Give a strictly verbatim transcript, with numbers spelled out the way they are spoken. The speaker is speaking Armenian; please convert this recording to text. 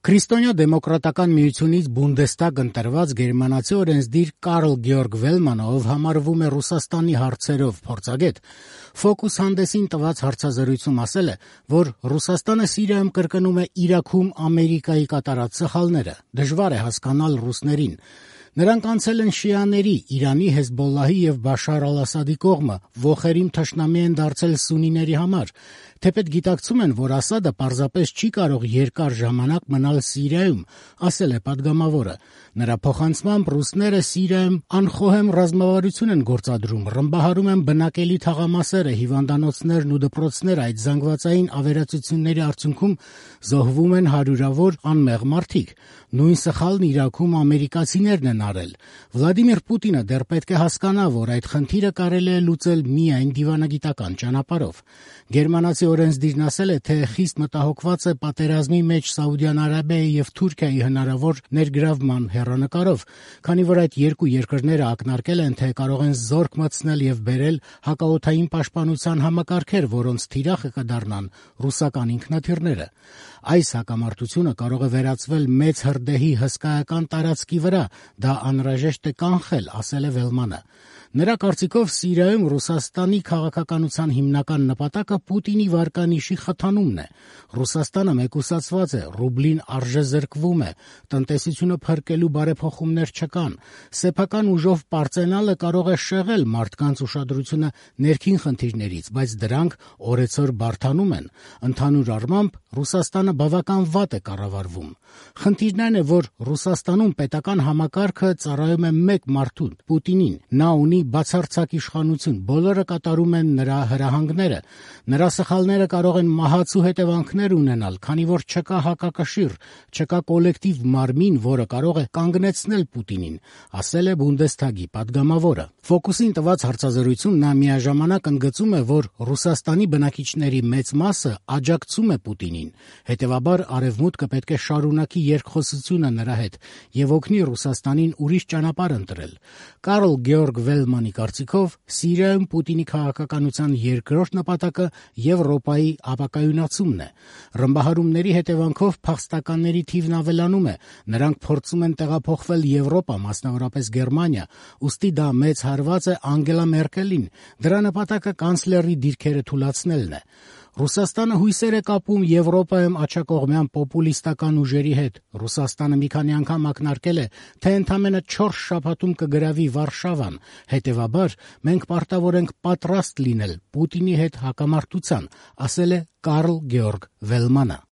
Քրիստոնյա դեմոկրատական միությունից Բունդեստագ ընտրված գերմանացի օրենսդիր Կարլ Գեորգ Վելմանը, ով համարվում է Ռուսաստանի հարցերով փորձագետ, Ֆոկուս հանդեսին տված հարցազրույցում ասել է, որ Ռուսաստանը Սիրիայում կրկնում է Իրաքում Ամերիկայի կատարած սխալները, դժվար է հասկանալ ռուսներին։ Նրանք անցել են շիաների, Իրանի, Հեզբոլլահի եւ Բաշար ալ-Ասադի կողմը, ոխերիմ թշնամի են դարձել սունիների համար, թեպետ գիտակցում են, որ Ասադը պարզապես չի կարող երկար ժամանակ մնալ Սիրիայում, ասել է պատգամավորը։ Նրա փոխանցմամբ ռուսները Սիրիայում անխոհեմ ռազմավարություն են գործադրում, ռմբահարում են բնակելի թաղամասերը, հիվանդանոցներն ու դպրոցները, այդ զանգվածային ավերածությունների արդյունքում զոհվում են հարյուրավոր անմեղ մարդիկ։ Նույն սխալն Իրաքում ամերիկացիներն են արել։ Վլադիմիր Պուտինը դեռ պետք է հասկանա, որ այդ խնդիրը կարելի է լուծել միայն դիվանագիտական ճանապարհով։ Գերմանացի օրենսդիրն ասել է, թե խիստ մտահոգված է պատերազմի մեջ Սաուդյան Արաբիայի եւ Թուրքիայի հնարավոր ներգրավման հեռանկարով, քանի որ այդ երկու երկրները ակնարկել են, թե կարող են զորք մտցնել եւ բերել հակաօդային պաշտպանության համակարգեր, որոնց թիրախը կդառնան ռուսական ինքնաթիռները։ Այս հակամարտությունը կարող է վերածվել մեծ հրդեհի հսկայական տարածքի վրա, դա անհրաժեշտ է կանխել, ասել է Վելմանը։ Նրա կարծիքով Սիրիայում Ռուսաստանի քաղաքականության հիմնական նպատակը Պուտինի վարկանիշի խթանումն է։ Ռուսաստանը մեկուսացված է, ռուբլին արժեզրկվում է, տնտեսությունը փրկելու բարեփոխումներ չկան, սեփական ուժով պարծենալը կարող է շեղել մարդկանց ուշադրությունը ներքին խնդիրներից, բայց դրանք օրեցօր բարդանում են։ Ընդհանուր առմամբ Ռուսաստանը բավական վատ է կառավարվում։ Խնդիրն այն է, որ Ռուսաստանում պետական համակարգը ծառայում է մեկ մարդուն՝ Պուտինին։ Նա ունի բացարձակ իշխանություն, բոլորը կատարում են նրա հրահանգները։ Նրա սխալները կարող են մահացու հետևանքներ ունենալ, քանի որ չկա հակակշիռ, չկա կոլեկտիվ մարմին, որը կարող է կանգնեցնել Պուտինին, ասել է Բունդեստագի պատգամավորը։ Ֆոկուսին տված հարցազրույցում նա միաժամանակ ընդգծում է, որ Ռուսաստանի բնակիչների մեծ մասը աջակցում է Պուտինին, հետևաբար Արևմուտքը պետք է շարունակի երկխոսությունը նրա հետ եւ օգնի Ռուսաստանին ուրիշ ճանապարհ ընտրել։ Կարլ Գեորգ Վելմանի կարծիքով Սիրիայում Պուտինի քաղաքականության երկրորդ նպատակը Եվրոպայի ապակայունացումն է։ Ռմբահարումների հետևանքով փախստականների թիվն ավելանում է, նրանք փորձում են տեղափոխվել Եվրոպա, մասնավորապես Գերմանիա, ուստի դա մեծ հարված է Անգելա Մերկելին, դրա նպատակը կանցլերի դիրքերը թուլացնելն է։ Ռուսաստանը հույսեր է կապում Եվրոպայում աջակողմյան պոպուլիստական ուժերի հետ։ Ռուսաստանը մի քանի անգամ ակնարկել է, թե ընդամենը չորս շաբաթում կգրավի Վարշավան, հետևաբար մենք պարտավոր ենք պատրաստ լինել Պուտինի հետ հակամարտության, ասել է Կարլ Գեորգ Վելմանը։